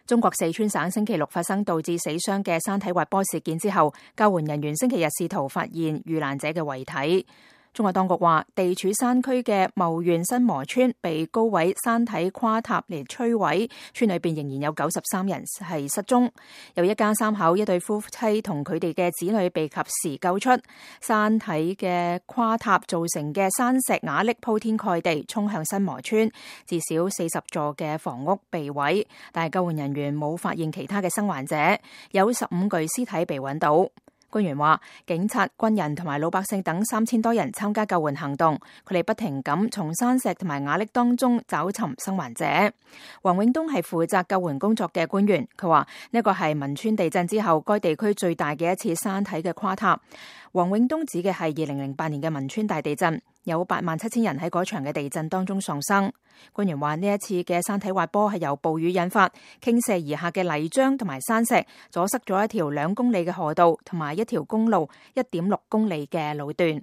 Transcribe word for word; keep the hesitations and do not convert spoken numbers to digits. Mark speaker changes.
Speaker 1: 中國四川省星期六發生導致死傷嘅山體滑坡事件之後，救援人員星期日試圖發現遇難者嘅遺體。中國當局話，地處山區嘅牟縣新磨村被高位山體垮塌嚟摧毀，村裏邊仍然有九十三人係失蹤。有一家三口一對夫妻同佢哋嘅子女被及時救出。山體嘅垮塌造成嘅山石瓦礫鋪天蓋地衝向新磨村，至少四十座嘅房屋被毀，但係救援人員冇發現其他嘅生還者，有十五具屍體被揾到。官員話，警察、軍人同埋老百姓等三千多人參加救援行動，佢哋不停咁從山石同埋瓦礫當中找尋生還者。黃永東係負責救援工作嘅官員，佢話呢個係汶川地震之後該地區最大嘅一次山體嘅垮塌。黃永東指嘅係二零零八年嘅汶川大地震，有八萬七千人喺嗰場嘅地震當中喪生。官員話呢一次嘅山體滑坡係由暴雨引發，傾瀉而下嘅泥漿同埋山石阻塞咗一條兩公里嘅河道同埋一條公路一點六公里嘅路段。